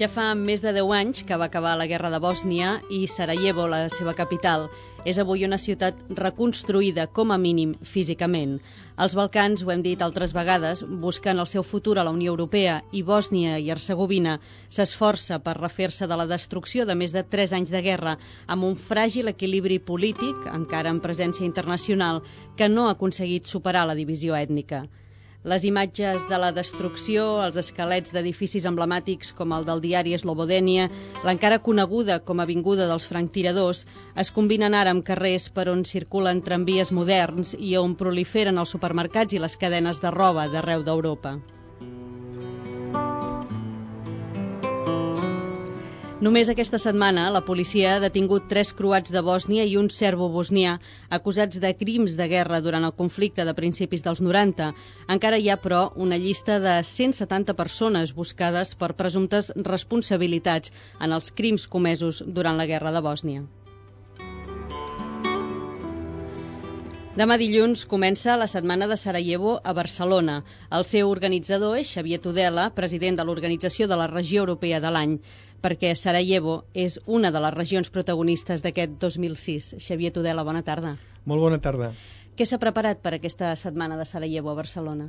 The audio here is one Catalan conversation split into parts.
Ja fa més de 10 anys que va acabar la guerra de Bòsnia i Sarajevo, la seva capital, és avui una ciutat reconstruïda, com a mínim, físicament. Els Balcans, ho hem dit altres vegades, busquen el seu futur a la Unió Europea i Bòsnia i Hercegovina s'esforça per refer-se de la destrucció de més de 3 anys de guerra amb un fràgil equilibri polític, encara en presència internacional, que no ha aconseguit superar la divisió ètnica. Les imatges de la destrucció, els esquelets d'edificis emblemàtics com el del diari Slobodenia, l'encara coneguda com a Avinguda dels Franctiradors, es combinen ara amb carrers per on circulen tramvies moderns i on proliferen els supermercats i les cadenes de roba d'arreu d'Europa. Només aquesta setmana la policia ha detingut 3 croats de Bòsnia i un serbo-bosnià acusats de crims de guerra durant el conflicte de principis dels 90. Encara hi ha, però, una llista de 170 persones buscades per presumptes responsabilitats en els crims comesos durant la guerra de Bòsnia. Demà dilluns comença la Setmana de Sarajevo a Barcelona. El seu organitzador és Xavier Tudela, president de l'Organització de la Regió Europea de l'Any, perquè Sarajevo és una de les regions protagonistes d'aquest 2006. Xavier Tudela, bona tarda. Molt bona tarda. Què s'ha preparat per aquesta Setmana de Sarajevo a Barcelona?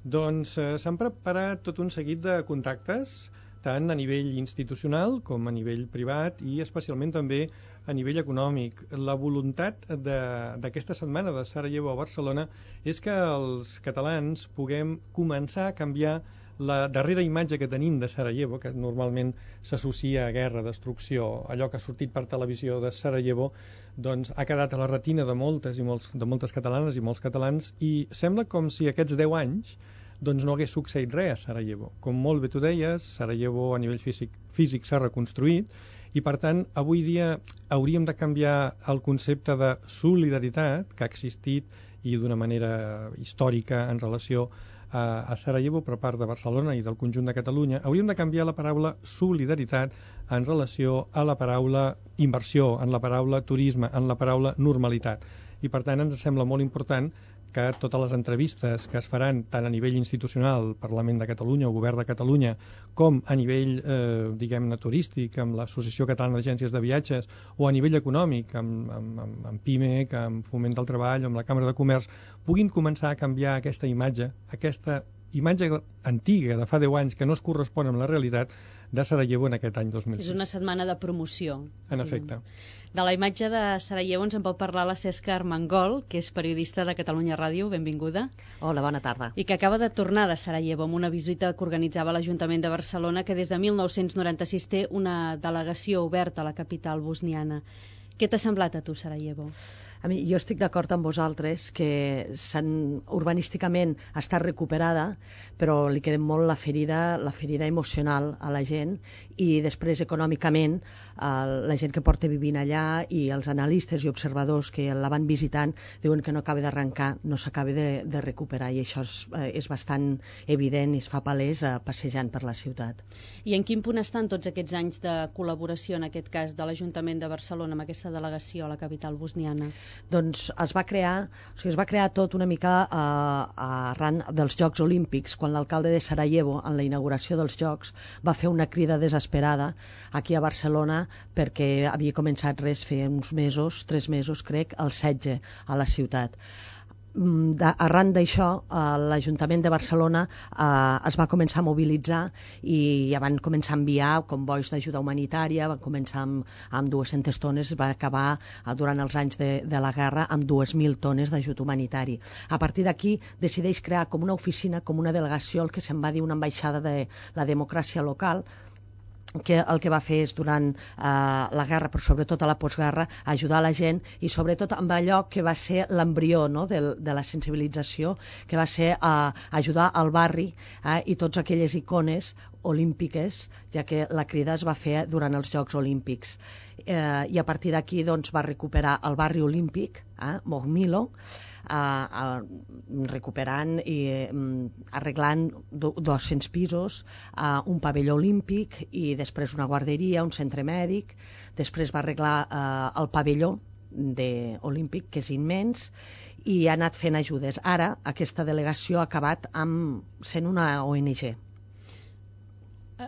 Doncs s'han preparat tot un seguit de contactes, tant a nivell institucional com a nivell privat i especialment també a nivell econòmic. La voluntat d'aquesta setmana de Sarajevo a Barcelona és que els catalans puguem començar a canviar la darrera imatge que tenim de Sarajevo, que normalment s'associa a guerra, destrucció. Allò que ha sortit per televisió de Sarajevo doncs ha quedat a la retina de moltes catalanes i molts catalans, i sembla com si aquests 10 anys doncs no hagués succeït res a Sarajevo. Com molt bé tu deies, Sarajevo a nivell físic s'ha reconstruït, i per tant avui dia hauríem de canviar el concepte de solidaritat que ha existit i d'una manera històrica en relació a Sarajevo per part de Barcelona i del conjunt de Catalunya. Hauríem de canviar la paraula solidaritat en relació a la paraula inversió, en la paraula turisme, en la paraula normalitat. I per tant ens sembla molt important que totes les entrevistes que es faran tant a nivell institucional, Parlament de Catalunya o Govern de Catalunya, com a nivell, diguem-ne, turístic, amb l'Associació Catalana d'Agències de Viatges, o a nivell econòmic, amb PIMEC, amb Foment del Treball, amb la Càmera de Comerç, puguin començar a canviar aquesta imatge antiga de fa 10 anys que no es correspon amb la realitat de Sarajevo en aquest any 2006. És una setmana de promoció. En efecte. De la imatge de Sarajevo ens en pot parlar la Cesca Armengol, que és periodista de Catalunya Ràdio. Benvinguda. Hola, bona tarda. I que acaba de tornar de Sarajevo amb una visita que organitzava l'Ajuntament de Barcelona, que des de 1996 té una delegació oberta a la capital bosniana. Què t'ha semblat a tu, Sarajevo? A mi, jo estic d'acord amb vosaltres que urbanísticament està recuperada, però li queda molt la ferida emocional a la gent, i després econòmicament la gent que porta vivint allà i els analistes i observadors que la van visitant diuen que no acaba d'arrencar, no s'acaba de recuperar, i això és bastant evident i es fa palès passejant per la ciutat. I en quin punt estan tots aquests anys de col·laboració, en aquest cas, de l'Ajuntament de Barcelona amb aquesta delegació a la capital bosniana? Doncs es va crear tot una mica arran dels Jocs Olímpics, quan l'alcalde de Sarajevo, en la inauguració dels Jocs, va fer una crida desesperada aquí a Barcelona perquè havia començat feia uns mesos, 3 mesos crec, el setge a la ciutat. Arran d'això, l'Ajuntament de Barcelona es va començar a mobilitzar i ja van començar a enviar convois d'ajuda humanitària, van començar amb 200 tones, va acabar durant els anys de la guerra amb 2.000 tones d'ajut humanitari. A partir d'aquí decideix crear com una oficina, com una delegació, el que se'n va dir una ambaixada de la democràcia local, que el que va fer és, durant la guerra, però sobretot a la postguerra, ajudar la gent, i sobretot amb allò que va ser l'embrió, no?, de la sensibilització, que va ser ajudar al barri i tots aquelles icones olímpiques, ja que la crida es va fer durant els Jocs Olímpics. I a partir d'aquí doncs, va recuperar el barri olímpic, Mogmilo, recuperant i arreglant 200 pisos, un pavelló olímpic i després una guarderia, un centre mèdic. Després va arreglar el pavelló olímpic, que és immens, i ha anat fent ajudes. Ara aquesta delegació ha acabat sent una ONG.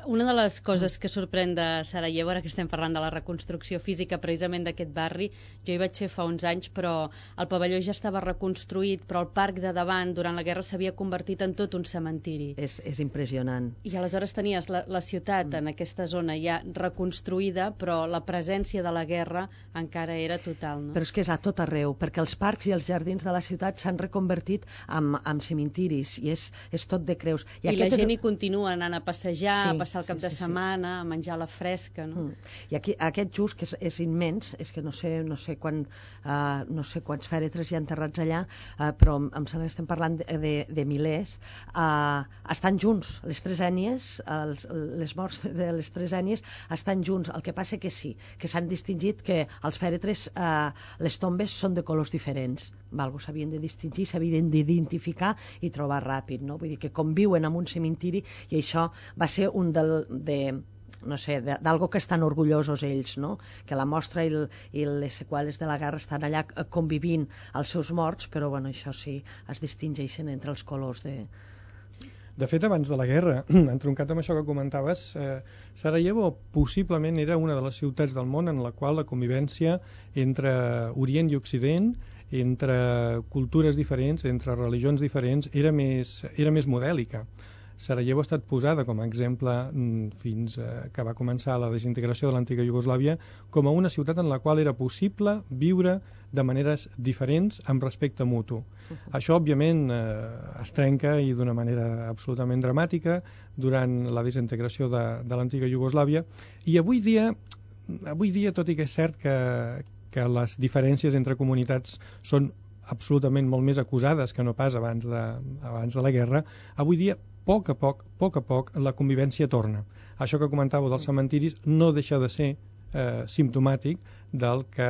Una de les coses que sorprèn de Sarajevo, ara que estem parlant de la reconstrucció física precisament d'aquest barri, jo hi vaig ser fa uns anys, però el pavelló ja estava reconstruït, però el parc de davant durant la guerra s'havia convertit en tot un cementiri. És impressionant. I aleshores tenies la ciutat en aquesta zona ja reconstruïda, però la presència de la guerra encara era total, no? Però és que és a tot arreu, perquè els parcs i els jardins de la ciutat s'han reconvertit en cementiris, i és tot de creus. I la gent hi continua anant a passejar, passar el cap de setmana, a menjar a la fresca, no? I aquest just, que és immens, és que no sé quants fèretres hi ha enterrats allà, però em sembla que estem parlant de milers, estan junts, les tres ètnies, les morts de les tres ètnies estan junts. El que passa que sí, que s'han distingit que els fèretres, les tombes són de colors diferents, s'havien de distingir, s'havien d'identificar i trobar ràpid, no? Vull dir que conviuen en un cementiri, i això va ser un d'algo que estan orgullosos ells, no? Que la mostra i les seqüeles de la guerra estan allà convivint als seus morts, però bueno, això sí, es distingeixen entre els colors de... De fet, abans de la guerra, entroncat amb això que comentaves, Sarajevo possiblement era una de les ciutats del món en la qual la convivència entre Orient i Occident, entre cultures diferents, entre religions diferents, era més modèlica. Sarajevo ha estat posada com a exemple fins que va començar la desintegració de l'antiga Iugoslàvia com a una ciutat en la qual era possible viure de maneres diferents amb respecte mutu. Això, òbviament, es trenca i d'una manera absolutament dramàtica durant la desintegració de l'antiga Iugoslàvia, i avui dia, tot i que és cert que les diferències entre comunitats són absolutament molt més acusades que no pas abans de la guerra, avui dia, a poc a poc, la convivència torna. Això que comentàveu dels cementiris no deixa de ser simptomàtic del que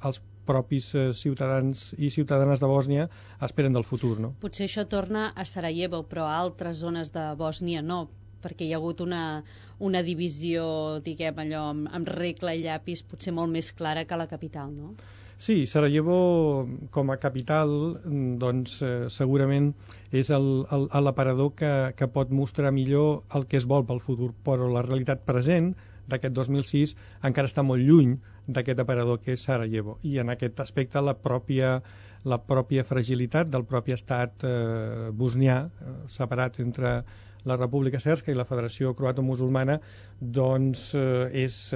els propis ciutadans i ciutadanes de Bòsnia esperen del futur, no? Potser això torna a Sarajevo, però a altres zones de Bòsnia no, perquè hi ha hagut una divisió, diguem allò, amb regla i llapis potser molt més clara que la capital, no? Sí, Sarajevo com a capital doncs segurament és l'aparador que pot mostrar millor el que es vol pel futur, però la realitat present d'aquest 2006 encara està molt lluny d'aquest aparador que és Sarajevo, i en aquest aspecte la pròpia fragilitat del propi estat bosnià, separat entre la República Sèrska i la Federació Croato-Musulmana, doncs és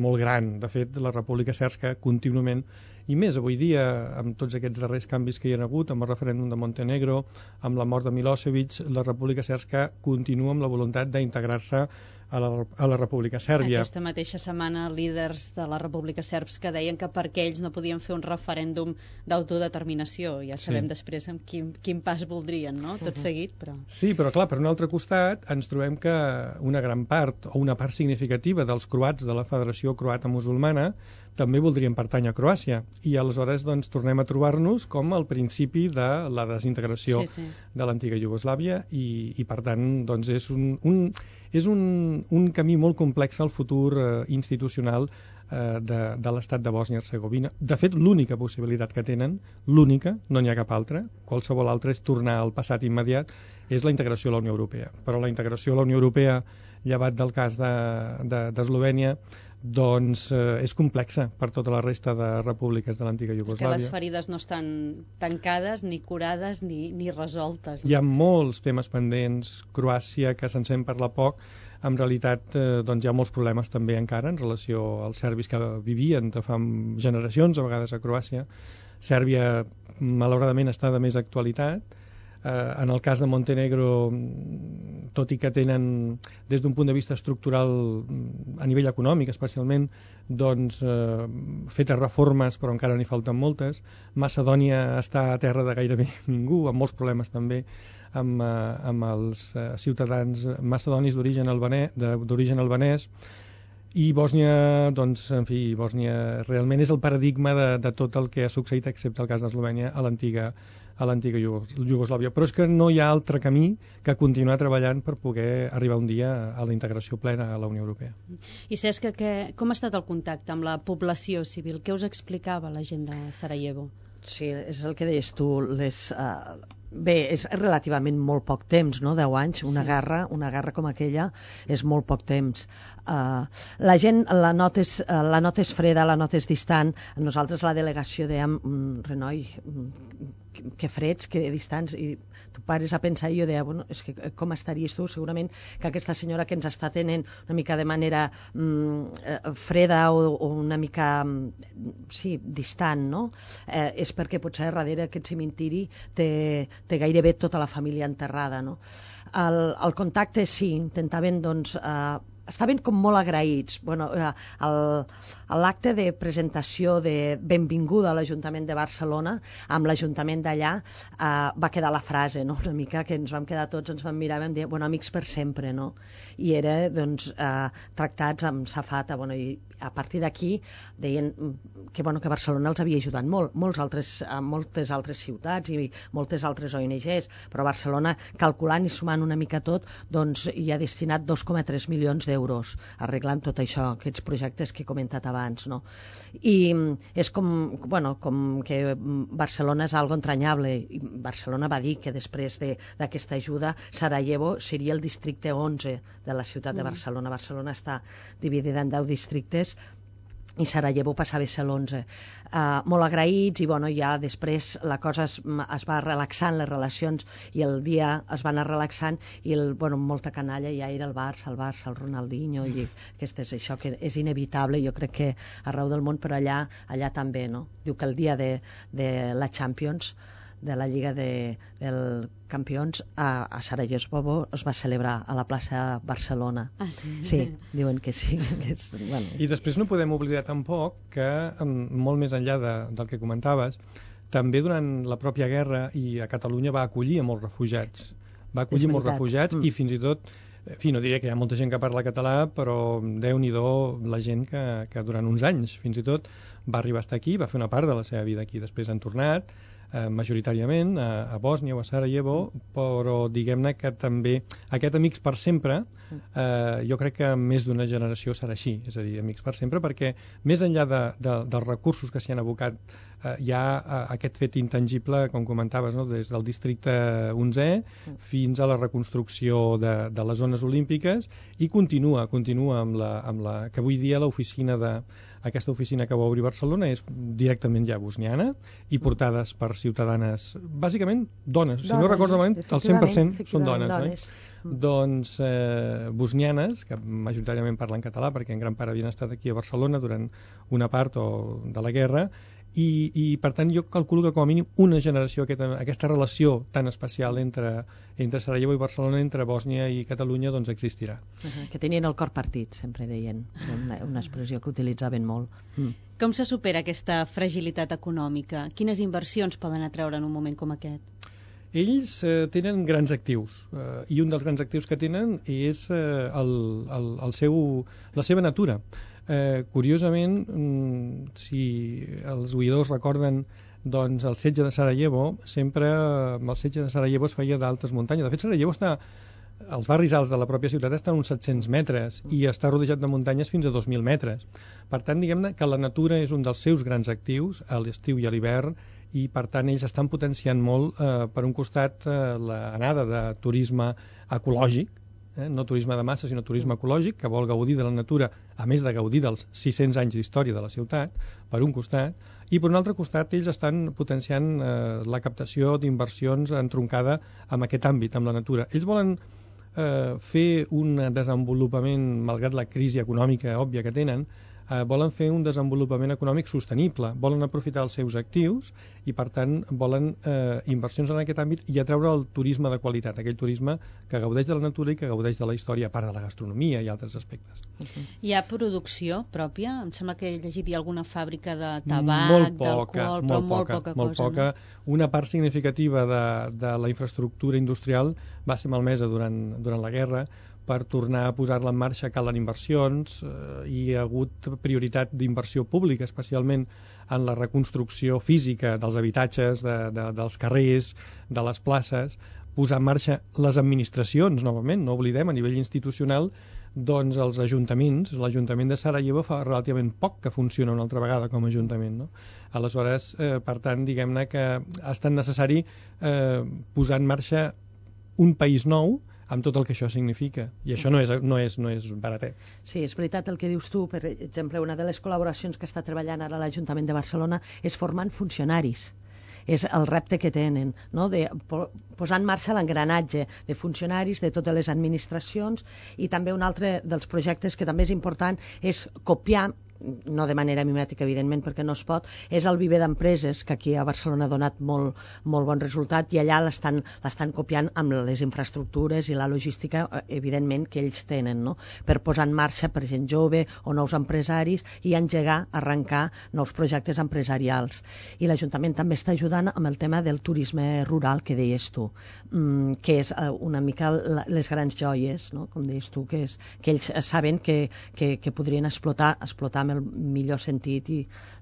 molt gran. De fet, la República Sèrska contínuament, i més avui dia, amb tots aquests darrers canvis que hi ha hagut, amb el referèndum de Montenegro, amb la mort de Milosevic, la República Sèrska continua amb la voluntat d'integrar-se a la República Sèrbia. Aquesta mateixa setmana líders de la República Sèrbs que deien que perquè ells no podien fer un referèndum d'autodeterminació. Ja sabem després amb quin pas voldrien, no? Tot seguit, però... Sí, però clar, per un altre costat ens trobem que una gran part o una part significativa dels croats de la Federació Croata Musulmana també voldrien pertànyer a Croàcia, i aleshores doncs tornem a trobar-nos com al principi de la desintegració de l'antiga Iugoslàvia, i per tant doncs és un camí molt complex al futur institucional de l'estat de Bòsnia-Hercegovina. De fet, l'única possibilitat que tenen, l'única, no n'hi ha cap altra, qualsevol altra és tornar al passat immediat, és la integració a la Unió Europea. Però la integració a la Unió Europea, llevat del cas d'Eslovènia, doncs és complexa per tota la resta de repúbliques de l'antiga Iugoslàvia. Que les ferides no estan tancades, ni curades, ni resoltes. Hi ha molts temes pendents. Croàcia, que se'n sent parlar poc, en realitat doncs hi ha molts problemes també encara en relació als serbis que vivien de fa generacions, a vegades a Croàcia. Sèrbia, malauradament, està de més actualitat. En el cas de Montenegro, tot i que tenen, des d'un punt de vista estructural, a nivell econòmic especialment, doncs fetes reformes, però encara n'hi falten moltes. Macedònia està a terra de gairebé ningú, amb molts problemes també amb els ciutadans macedonis d'origen albanès. I Bòsnia, doncs, en fi, Bòsnia realment és el paradigma de tot el que ha succeït, excepte el cas d'Eslovènia, a l'antiga Iugoslàvia. Però és que no hi ha altre camí que continuar treballant per poder arribar un dia a la integració plena a la Unió Europea. I Cesc, com ha estat el contacte amb la població civil? Què us explicava la gent de Sarajevo? Sí, és el que deies tu, Bé, és relativament molt poc temps, no? 10 anys, una guerra com aquella és molt poc temps. La gent, la nota és freda, la nota és distant. Nosaltres a la delegació dèiem, Renoi, que freds, que distants, i tu pares a pensar, i jo deia, bueno, és que com estaries tu? Segurament que aquesta senyora que ens està tenint una mica de manera freda o una mica distant, no? És perquè potser darrere aquest cementiri té gairebé tota la família enterrada, no? El contacte, sí, intentaven, doncs, estaven com molt agraïts. Bueno, l'acte de presentació de benvinguda a l'Ajuntament de Barcelona, amb l'Ajuntament d'allà, va quedar la frase, no? Una mica que ens vam quedar tots, ens vam mirar i vam dir, bueno, amics per sempre, no? I era, doncs, tractats amb safata, bueno, i a partir d'aquí deien que Barcelona els havia ajudat molt, moltes altres ciutats i moltes altres ONGs, però Barcelona, calculant i sumant una mica tot, doncs hi ha destinat 2,3 milions d'euros arreglant tot això, aquests projectes que he comentat abans, no? I és com que Barcelona és algo entranyable, i Barcelona va dir que després d'aquesta ajuda Sarajevo seria el districte 11 de la ciutat de Barcelona. Barcelona està dividida en 10 districtes i Sarajevo passava a ser l'11. Molt agraïts, i ja després la cosa es va relaxant, les relacions, i el dia es va anar relaxant, i molta canalla ja era el Barça, el Ronaldinho, i això que és inevitable, jo crec que arreu del món, però allà també, no? Diu que el dia de la Champions, de la Lliga dels Campions, a Sarajevo es va celebrar a la plaça Barcelona. Ah, sí? Sí, diuen que sí. I després no podem oblidar tampoc que, molt més enllà del que comentaves, també durant la pròpia guerra i a Catalunya va acollir a molts refugiats. Va acollir molts refugiats i fins i tot, en fi, no diré que hi ha molta gent que parla català, però Déu-n'hi-do la gent que durant uns anys, fins i tot, va arribar a estar aquí, va fer una part de la seva vida aquí. Després han tornat, majoritàriament a Bòsnia o a Sarajevo, però diguem-ne que també aquest amics per sempre, jo crec que més d'una generació serà així, és a dir, amics per sempre, perquè més enllà dels recursos que s'hi han abocat, hi ha aquest fet intangible, com comentaves, no? Des del districte 11è fins a la reconstrucció de les zones olímpiques, i continua amb la que avui dia aquesta oficina que va obrir Barcelona és directament ja bosniana i portades per ciutadanes, bàsicament dones, si no recordo malament, el 100% són dones, no? Doncs bosnianes, que majoritàriament parlen català perquè en gran part havien estat aquí a Barcelona durant una part de la guerra, i per tant jo calculo que com a mínim una generació, aquesta relació tan especial entre Sarajevo i Barcelona, entre Bòsnia i Catalunya, doncs existirà. Que tenien el cor partit, sempre deien, una expressió que utilitzaven molt. Com se supera aquesta fragilitat econòmica? Quines inversions poden atreure en un moment com aquest? Ells tenen grans actius, i un dels grans actius que tenen és la seva natura. Curiosament, si els oïdors recorden, doncs el setge de Sarajevo, sempre amb el setge de Sarajevo es feia d'altes muntanyes. De fet, Sarajevo els barris alts de la pròpia ciutat estan a uns 700 metres i està rodejat de muntanyes fins a 2.000 metres. Per tant, diguem-ne que la natura és un dels seus grans actius a l'estiu i a l'hivern, i per tant ells estan potenciant molt, per un costat, l'anada de turisme ecològic, no turisme de massa, sinó turisme ecològic, que vol gaudir de la natura, a més de gaudir dels 600 anys d'història de la ciutat, per un costat, i per un altre costat ells estan potenciant la captació d'inversions entroncada amb aquest àmbit, amb la natura. Ells volen fer un desenvolupament, malgrat la crisi econòmica òbvia que tenen, volen fer un desenvolupament econòmic sostenible, volen aprofitar els seus actius i, per tant, volen inversions en aquest àmbit i atreure el turisme de qualitat, aquell turisme que gaudeix de la natura i que gaudeix de la història, a part de la gastronomia i altres aspectes. Hi ha producció pròpia? Em sembla que he llegit alguna fàbrica de tabac, d'alcohol, però molt poca cosa. No? Una part significativa de la infraestructura industrial va ser malmesa durant la guerra. Per tornar a posar-la en marxa calen inversions, i hi ha hagut prioritat d'inversió pública, especialment en la reconstrucció física dels habitatges, dels carrers, de les places, posar en marxa les administracions, novament, no oblidem, a nivell institucional, doncs els ajuntaments, l'Ajuntament de Sarajevo fa relativament poc que funciona una altra vegada com a ajuntament, no? Aleshores, per tant, diguem-ne que ha estat necessari posar en marxa un país nou amb tot el que això significa. I això no és baratet. Sí, és veritat el que dius tu. Per exemple, una de les col·laboracions que està treballant ara l'Ajuntament de Barcelona és formant funcionaris. És el repte que tenen, no? De posar en marxa l'engranatge de funcionaris de totes les administracions, i també un altre dels projectes que també és important és copiar, no de manera mimètica, evidentment, perquè no es pot, és el viver d'empreses, que aquí a Barcelona ha donat molt bon resultat, i allà l'estan copiant amb les infraestructures i la logística, evidentment, que ells tenen, no? Per posar en marxa per gent jove o nous empresaris i arrencar nous projectes empresarials. I l'Ajuntament també està ajudant amb el tema del turisme rural, que deies tu, que és una mica les grans joies, no? Com deies tu, que ells saben que podrien explotar amb el millor sentit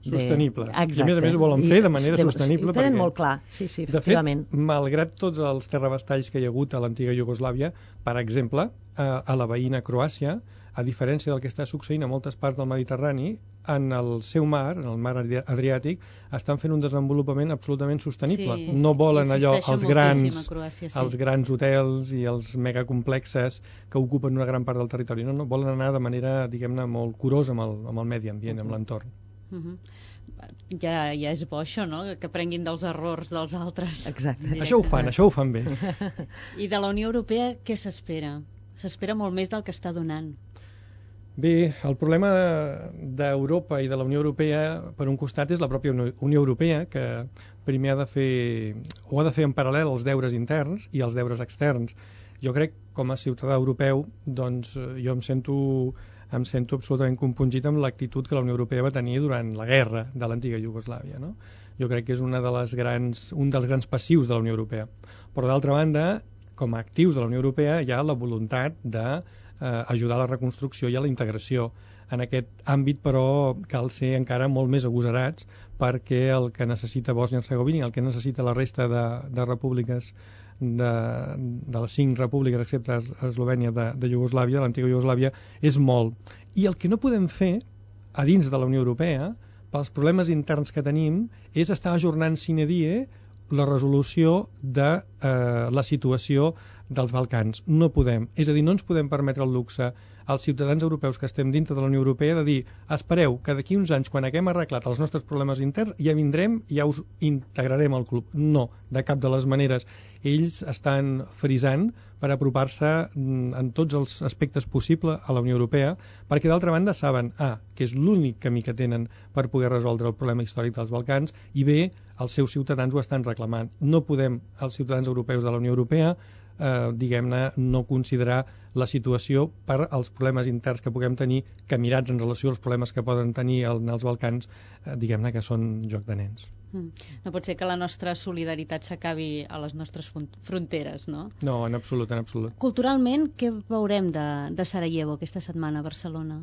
sostenible. Exacte. I a més ho volen fer de manera sostenible. Ho tenen molt clar, sí, efectivament. De fet, malgrat tots els terrabastalls que hi ha hagut a l'antiga Iugoslàvia, per exemple, a la veïna Croàcia, a diferència del que està succeint a moltes parts del Mediterrani, en el seu mar, en el mar Adriàtic, estan fent un desenvolupament absolutament sostenible. Sí, no volen allò, els grans hotels i els megacomplexes que ocupen una gran part del territori. No, volen anar de manera, diguem-ne, molt curosa amb el medi ambient, amb l'entorn. Ja és bo això, no? Que prenguin dels errors dels altres. Exacte. Això ho fan bé. I de la Unió Europea què s'espera? S'espera molt més del que està donant. Bé, el problema d'Europa i de la Unió Europea, per un costat, és la pròpia Unió Europea, que primer ha de fer en paral·lel els deures interns i els deures externs. Jo crec, com a ciutadà europeu, doncs jo em sento absolutament compungit amb l'actitud que la Unió Europea va tenir durant la guerra de l'antiga Iugoslàvia, no? Jo crec que és un dels grans passius de la Unió Europea. Però d'altra banda, com a actius de la Unió Europea hi ha la voluntat d'ajudar a la reconstrucció i a la integració. En aquest àmbit, però, cal ser encara molt més agosarats, perquè el que necessita Bòsnia-Hercegovina i el que necessita la resta de repúbliques de les 5 repúbliques, excepte Eslovènia, de Iugoslàvia, de l'antiga Iugoslàvia, és molt. I el que no podem fer a dins de la Unió Europea, pels problemes interns que tenim, és estar ajornant sine die la resolució de la situació dels Balcans. No podem. És a dir, no ens podem permetre el luxe als ciutadans europeus que estem dintre de la Unió Europea de dir, espereu que d'aquí uns anys, quan haguem arreglat els nostres problemes interns, ja vindrem i ja us integrarem al club. No, de cap de les maneres. Ells estan frisant per apropar-se en tots els aspectes possibles a la Unió Europea, perquè d'altra banda saben, que és l'únic camí que tenen per poder resoldre el problema històric dels Balcans, i bé, els seus ciutadans ho estan reclamant. No podem, els ciutadans europeus de la Unió Europea, diguem-ne, no considerar la situació per als problemes interns que puguem tenir, que mirats en relació als problemes que poden tenir els Balcans, diguem-ne que són joc de nens. No pot ser que la nostra solidaritat s'acabi a les nostres fronteres, no? No, en absolut, en absolut. Culturalment, què veurem de Sarajevo aquesta setmana a Barcelona?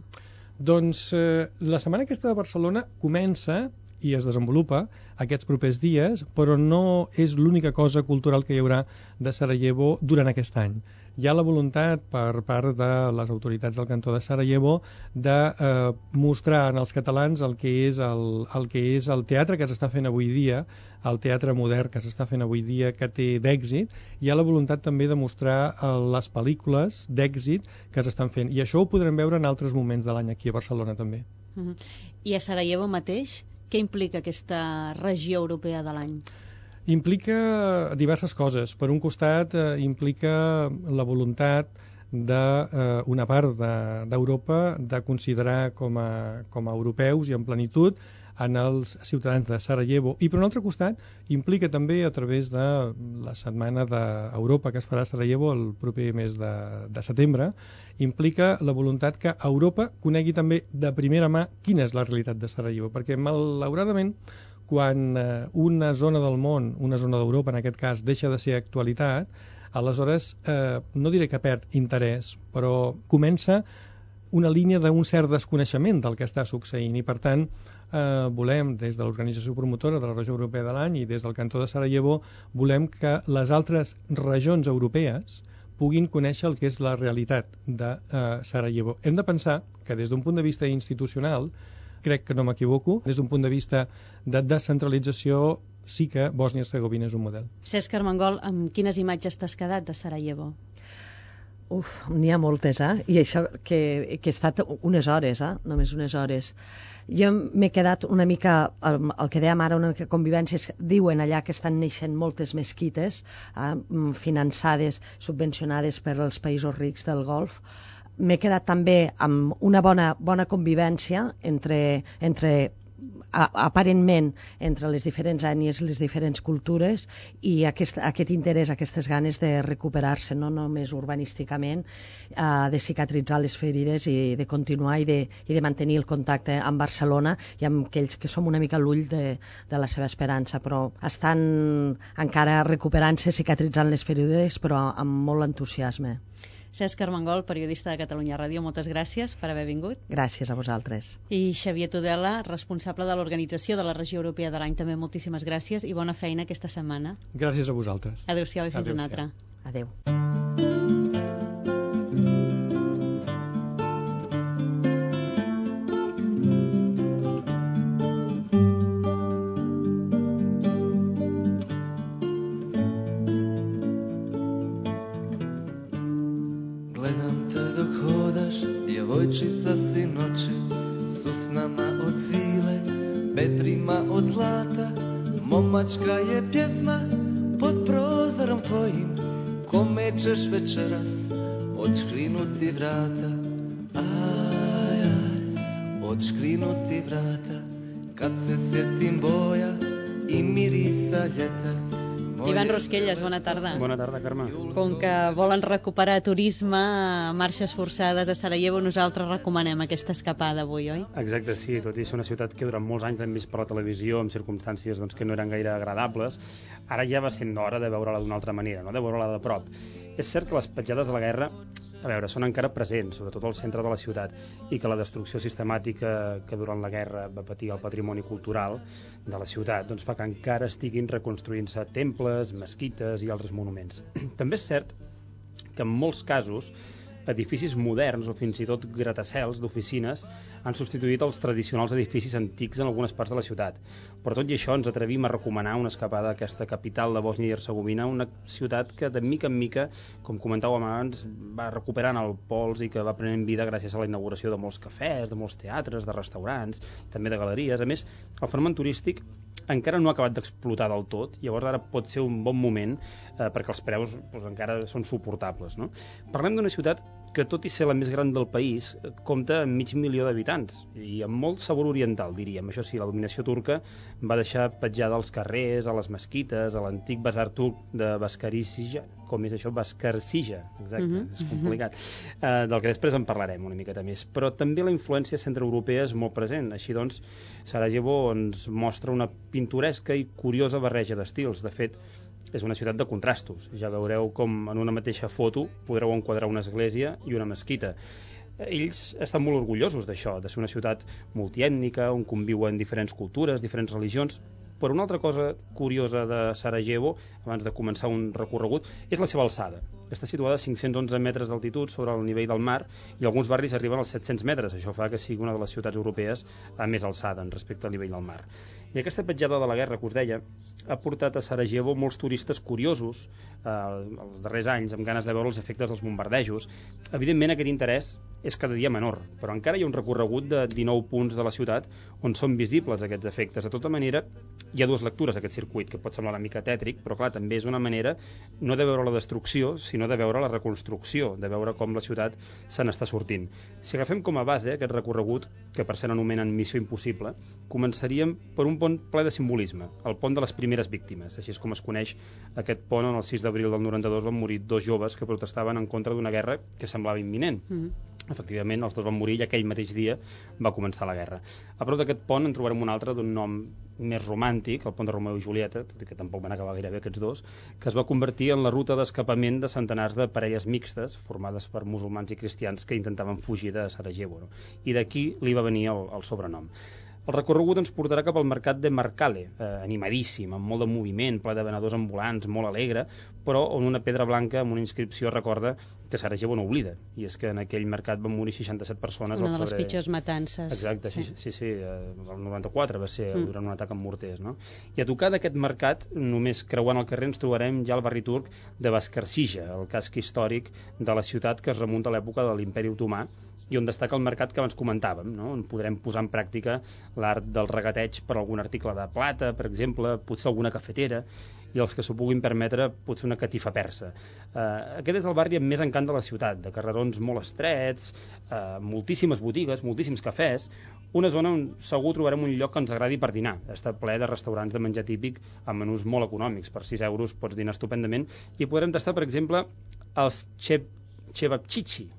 Doncs la setmana aquesta de Barcelona comença i es desenvolupa aquests propers dies, però no és l'única cosa cultural que hi haurà de Sarajevo durant aquest any. Hi ha la voluntat per part de les autoritats del cantó de Sarajevo de mostrar en els catalans el que és el teatre que s'està fent avui dia, el teatre modern que s'està fent avui dia, que té d'èxit. Hi ha la voluntat també de mostrar les pel·lícules d'èxit que s'estan fent, i això ho podrem veure en altres moments de l'any aquí a Barcelona també. I a Sarajevo mateix, què implica aquesta regió europea de l'any? Implica diverses coses. Per un costat, implica la voluntat d'una part d'Europa de considerar com a europeus i en plenitud en els ciutadans de Sarajevo. I per un altre costat, implica també, a través de la setmana d'Europa que es farà a Sarajevo el proper mes de setembre, implica la voluntat que Europa conegui també de primera mà quina és la realitat de Sarajevo, perquè malauradament quan una zona del món, una zona d'Europa en aquest cas, deixa de ser actualitat, aleshores no diré que perd interès, però comença una línia d'un cert desconeixement del que està succeint, i per tant volem, des de l'organització promotora de la regió europea de l'any i des del cantó de Sarajevo, volem que les altres regions europees puguin conèixer el que és la realitat de Sarajevo. Hem de pensar que des d'un punt de vista institucional, crec que no m'equivoco, des d'un punt de vista de descentralització, sí que Bòsnia-Hercegovina és un model. Cesc Armengol, amb quines imatges t'has quedat de Sarajevo? N'hi ha moltes, I això que he estat unes hores, només unes hores. Jo m'he quedat una mica, el que dèiem ara, una mica convivències, diuen allà que estan neixent moltes mesquites finançades, subvencionades per als països rics del Golf. M'he quedat també amb una bona convivència entre aparentment entre les diferents ètnies i les diferents cultures i aquest interès, aquestes ganes de recuperar-se, no només urbanísticament, de cicatritzar les ferides i de continuar i de mantenir el contacte amb Barcelona i amb aquells que som una mica l'ull de la seva esperança, però estan encara recuperant-se, cicatritzant les ferides, però amb molt entusiasme. Cesc Armengol, periodista de Catalunya Ràdio, moltes gràcies per haver vingut. Gràcies a vosaltres. I Xavier Tudela, responsable de l'organització de la Regió Europea de l'Any, també moltíssimes gràcies i bona feina aquesta setmana. Gràcies a vosaltres. Adéu-siau i fins una altra. Adéu. Djevojčica sinoči su s nama od svile, vedrima od zlata. Momačka je pjesma pod prozorom tvojim, kome ćeš večeras odškrinuti vrata. Aj, odškrinuti vrata, kad se sjetim boja i mirisa ljeta. Ivan Rosquelles, bona tarda. Bona tarda, Carme. Com que volen recuperar turisme, marxes forçades a Sarajevo, nosaltres recomanem aquesta escapada avui, oi? Exacte, sí, tot i ser una ciutat que durant molts anys hem vist per la televisió en circumstàncies que no eren gaire agradables, ara ja va sent hora de veure-la d'una altra manera, de veure-la de prop. És cert que les petjades de la guerra, són encara presents, sobretot al centre de la ciutat, i que la destrucció sistemàtica que durant la guerra va patir el patrimoni cultural de la ciutat fa que encara estiguin reconstruint-se temples, mesquites i altres monuments. També és cert que en molts casos edificis moderns o fins i tot gratacels d'oficines han substituït els tradicionals edificis antics en algunes parts de la ciutat. Per tot i això ens atrevim a recomanar una escapada a aquesta capital de Bòsnia i Hercegovina, una ciutat que de mica en mica, com comentàvem abans, va recuperant el pols i que va prenent vida gràcies a la inauguració de molts cafès, de molts teatres, de restaurants, també de galeries. A més, el fenomen turístic encara no ha acabat d'explotar del tot, llavors ara pot ser un bon moment perquè els preus encara són suportables, no? Parlem d'una ciutat que, tot i ser la més gran del país, compta amb 500.000 d'habitants i amb molt sabor oriental, diríem. Això sí, la dominació turca va deixar petjada als carrers, a les mesquites, a l'antic basar turc de Baskarsija, com és això? Baskarsija, exacte, és complicat, del que després en parlarem una miqueta més. Però també la influència centreeuropea és molt present. Així doncs, Sarajevo ens mostra una pintoresca i curiosa barreja d'estils. De fet, és una ciutat de contrastos. Ja veureu com en una mateixa foto podreu enquadrar una església i una mesquita. Ells estan molt orgullosos d'això, de ser una ciutat multiètnica, on conviuen diferents cultures, diferents religions. Però una altra cosa curiosa de Sarajevo, abans de començar un recorregut, és la seva alçada. Està situada a 511 metres d'altitud sobre el nivell del mar i alguns barris arriben als 700 metres. Això fa que sigui una de les ciutats europees a més alçada respecte al nivell del mar. I aquesta petjada de la guerra que us deia ha portat a Sarajevo molts turistes curiosos els darrers anys, amb ganes de veure els efectes dels bombardejos. Evidentment, aquest interès és cada dia menor, però encara hi ha un recorregut de 19 punts de la ciutat on són visibles aquests efectes. De tota manera, hi ha dues lectures a aquest circuit, que pot semblar una mica tètric, però clar, també és una manera no de veure la destrucció, sinó de veure la reconstrucció, de veure com la ciutat se n'està sortint. Si agafem com a base aquest recorregut, que per cert anomenen Missió Impossible, començaríem per un pont ple de simbolisme, el pont de les primeres víctimes. Així és com es coneix aquest pont. On el 6 d'abril del 92 van morir 2 joves que protestaven en contra d'una guerra que semblava imminent. Efectivament, els dos van morir i aquell mateix dia va començar la guerra. A prop d'aquest pont en trobarem un altre d'un nom més romàntic, el pont de Romeu i Julieta, tot i que tampoc van acabar gairebé aquests dos, que es va convertir en la ruta d'escapament de centenars de parelles mixtes formades per musulmans i cristians que intentaven fugir de Sarajevo, no? I d'aquí li va venir el sobrenom. El recorregut ens portarà cap al mercat de Marcale, animadíssim, amb molt de moviment, ple de venedors ambulants, molt alegre, però on una pedra blanca amb una inscripció recorda que Sarajevo no oblida, i és que en aquell mercat van morir 67 persones una de les pitjors matances. Exacte, sí, el 94 va ser durant un atac amb morters, no? I a tocar d'aquest mercat, només creuant el carrer, ens trobarem ja al barri turc de Bascarsija, el casc històric de la ciutat que es remunta a l'època de l'Imperi Otomà, i on destaca el mercat que abans comentàvem, no? On podrem posar en pràctica l'art del regateig per algun article de plata, per exemple, potser alguna cafetera, i els que s'ho puguin permetre, potser una catifa persa. Aquest és el barri amb més encant de la ciutat, de carrerons molt estrets, moltíssimes botigues, moltíssims cafès, una zona on segur trobarem un lloc que ens agradi per dinar. Està ple de restaurants de menjar típic amb menús molt econòmics. Per 6 euros pots dinar estupendament i podrem tastar, per exemple, els cevapcici.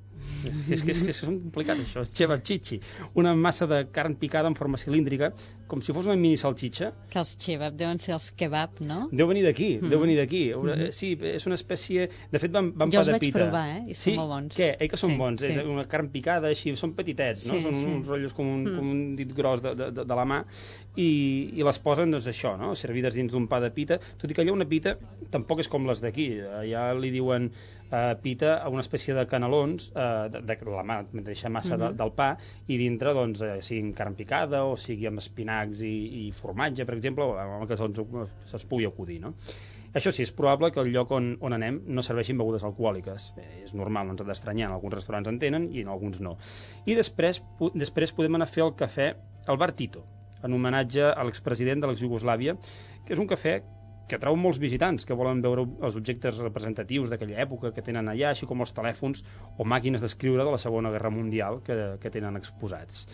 És que és complicat això, cevapcici, una massa de carn picada en forma cilíndrica, com si fos una mini salxitxa. Que els cevap deuen ser els kebab, no? Deu venir d'aquí. Sí, és una espècie... De fet, van pa de pita. Jo els vaig provar, i són molt bons. Què? Que són bons? És una carn picada, així, són petitets, no? Són uns rotllos com un dit gros de la mà, i les posen, doncs, això, no? Servides dins d'un pa de pita, tot i que allà una pita tampoc és com les d'aquí. Allà li diuen pita a una espècie de canelons de la mateixa massa del pa, i dintre, doncs, sigui carn picada o sigui amb espinacs i formatge, per exemple, o amb el que se'ls pugui acudir, no? Això sí, és probable que el lloc on anem no serveixin begudes alcohòliques. És normal, no ens ha d'estranyar, en alguns restaurants en tenen i en alguns no. I després podem anar a fer el cafè al bar Tito, en homenatge a l'expresident de l'ex-Iugoslàvia, que és un cafè que atrau molts visitants que volen veure els objectes representatius d'aquella època que tenen allà, així com els telèfons o màquines d'escriure de la Segona Guerra Mundial que tenen exposats.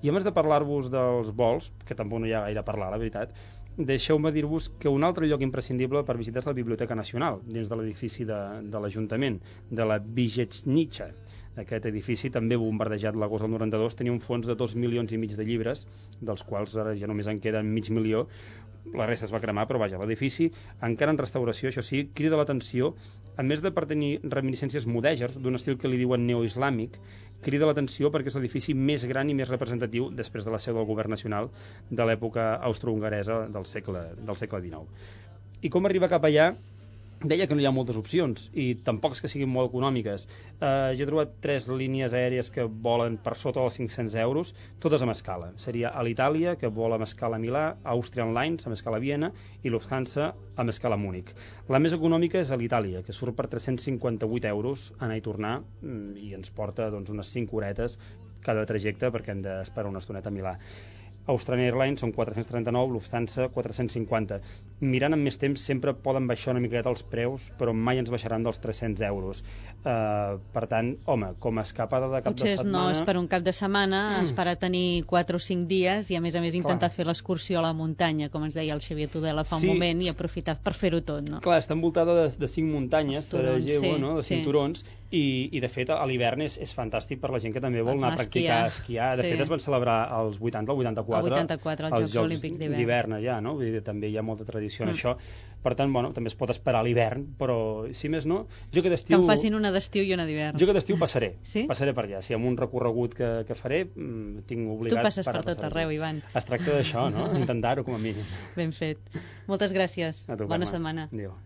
I a més de parlar-vos dels vols, que tampoc no hi ha gaire a parlar, la veritat, deixeu-me dir-vos que un altre lloc imprescindible per visitar és la Biblioteca Nacional, dins de l'edifici de l'Ajuntament, de la Vijetnica. Aquest edifici, també bombardejat l'agost del 92, tenia un fons de 2,5 milions de llibres, dels quals ara ja només en queden 500.000. La resta es va cremar, però vaja, l'edifici, encara en restauració, això sí, crida l'atenció, a més de per tenir reminiscències mudèjars, d'un estil que li diuen neoislàmic, crida l'atenció perquè és l'edifici més gran i més representatiu després de la seu del govern nacional de l'època austrohongaresa del segle XIX. I com arribar cap allà? Deia que no hi ha moltes opcions i tampoc és que siguin molt econòmiques. Jo he trobat 3 línies aèries que volen per sota dels 500 euros, totes amb escala. Seria Alitalia, que vola amb escala a Milà, Austrian Lines amb escala a Viena i Lufthansa amb escala a Múnich. La més econòmica és Alitalia, que surt per 358 euros anar i tornar i ens porta doncs, unes 5 horetes cada trajecte perquè hem d'esperar una estoneta a Milà. Australian Airlines són 439, Lufthansa 450. Mirant amb més temps sempre poden baixar una miqueta els preus, però mai ens baixaran dels 300 euros. Per tant, home, com a escapada de cap de setmana... Potser no és per un cap de setmana, esperar tenir 4 o 5 dies i a més intentar fer l'excursió a la muntanya, com ens deia el Xavier Tudela fa un moment, i aprofitar per fer-ho tot, no? Clar, està envoltada de 5 muntanyes, Sarajevo, no? De cinturons, i de fet a l'hivern és fantàstic per la gent que també vol anar a practicar esquiar. De fet es van celebrar els 80, el 84, els Jocs Olímpics d'hivern allà, no? Vull dir, també hi ha molta tradició en això. Per tant, bueno, també es pot esperar a l'hivern, però si més no, jo que d'estiu... Que em facin una d'estiu i una d'hivern. Jo que d'estiu passaré. Sí? Passaré per allà. Si amb un recorregut que faré, tinc obligat... Tu passes per tot arreu, Ivan. Es tracta d'això, no? Intentar-ho com a mínim. Ben fet. Moltes gràcies. A tu, Bona setmana. Adéu.